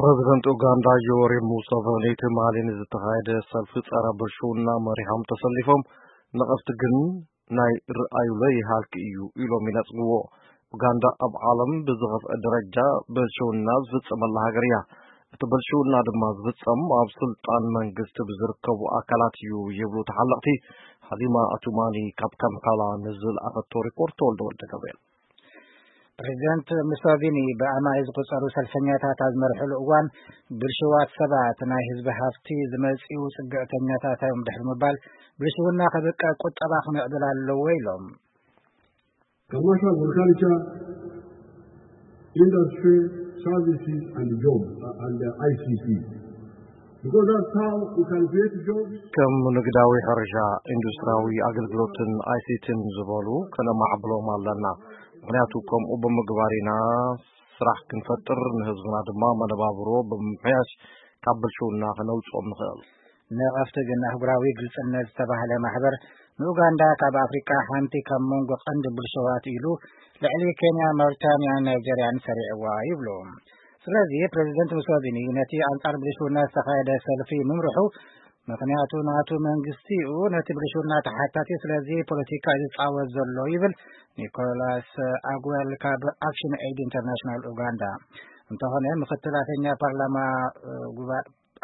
ፕረዚደንት ኡጋንዳ ዮወሪ ሙሰቨኒ ትማሊ ንዝተኻየደ ሰልፊ ጸረ ብልሽውና መሪሖም ተሰሊፎም፣ ነቐፍቲ ግን ናይ ርኣዩለይ ሃልኪ እዩ ኢሎም ይነጽግዎ። ኡጋንዳ ኣብ ዓለም ብዝኸፍአ ደረጃ ብልሽውና ዝፍጸመላ ሃገር እያ። እቲ ብልሽውና ድማ ዝፍጸም ኣብ ስልጣን መንግስቲ ብዝርከቡ ኣካላት እዩ ይብሉ ተሓለቕቲ። ሃሊማ ኣቱማኒ ካብ ካምፓላ ንዝለኣኸቶ ሪፖርት ተወልደ ወልደ ገብርኤል። ፕሬዚደንት ሙሶቪኒ ብኣማይ ዝቁጸሩ ሰልፈኛታት ኣብ ዝመርሕሉ እዋን፣ ብልሽዋት ሰባት ናይ ህዝቢ ሃፍቲ ዝመጽኡ ጽግዕተኛታት እዮም ድሕሪ ምባል፣ ብልሽውና ከብቅዕ ቁጠባ ክምዕብል ኣለዎ ኢሎም። Commercial, agriculture, industry, services and jobs and the I C T. Because that's how we can create jobs. ከም ንግዳዊ ሕርሻ፣ ኢንዱስትሪያዊ ኣገልግሎትን ኣይሲቲን ዝበሉ ከነማዕብሎም ኣለና። ምኽንያቱ ከምኡ ብምግባር ኢና ስራሕ ክንፈጥር፣ ንህዝብና ድማ መነባብሮ ብምምሕያሽ ካብ ብልሽውና ከነውፅኦም ንኽእል። ነቐፍቲ ግን ኣህጉራዊ ግልጽነት ዝተባህለ ማሕበር ንኡጋንዳ ካብ ኣፍሪቃ ሓንቲ ካብ መንጎ ቀንዲ ብልሽዋት ኢሉ ልዕሊ ኬንያ፣ ማውሪታንያን ናይጀርያን ሰሪዕዋ ይብሉ። ስለዚ ፕሬዚደንት ሙሶቪኒ ነቲ ኣንጻር ብልሽውና ዝተኻየደ ሰልፊ ምምርሑ ምኽንያቱ ናቱ መንግስቲ እዩ ነቲ ብልሽውና ተሓታቲ፣ ስለዚ ፖለቲካ እዩ ዝጻወት ዘሎ ይብል ኒኮላስ ኣግወል ካብ ኣክሽን ኤድ ኢንተርናሽናል ኡጋንዳ። እንተኾነ ምክትል ኣፈኛ ፓርላማ ጉባ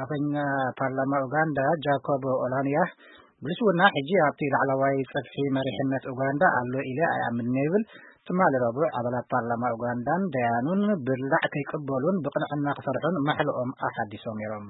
ኣፈኛ ፓርላማ ኡጋንዳ ጃኮብ ኦላንያ ብልሽውና ሕጂ ኣብቲ ላዕለዋይ ጽፍሒ መሪሕነት ኡጋንዳ ኣሎ ኢለ ኣይኣምንን ይብል። ትማሊ ረቡዕ ኣባላት ፓርላማ ኡጋንዳን ደያኑን ብላዕ ከይቅበሉን ብቕንዕና ክሰርሑን ማሕልኦም ኣሓዲሶም ነይሮም።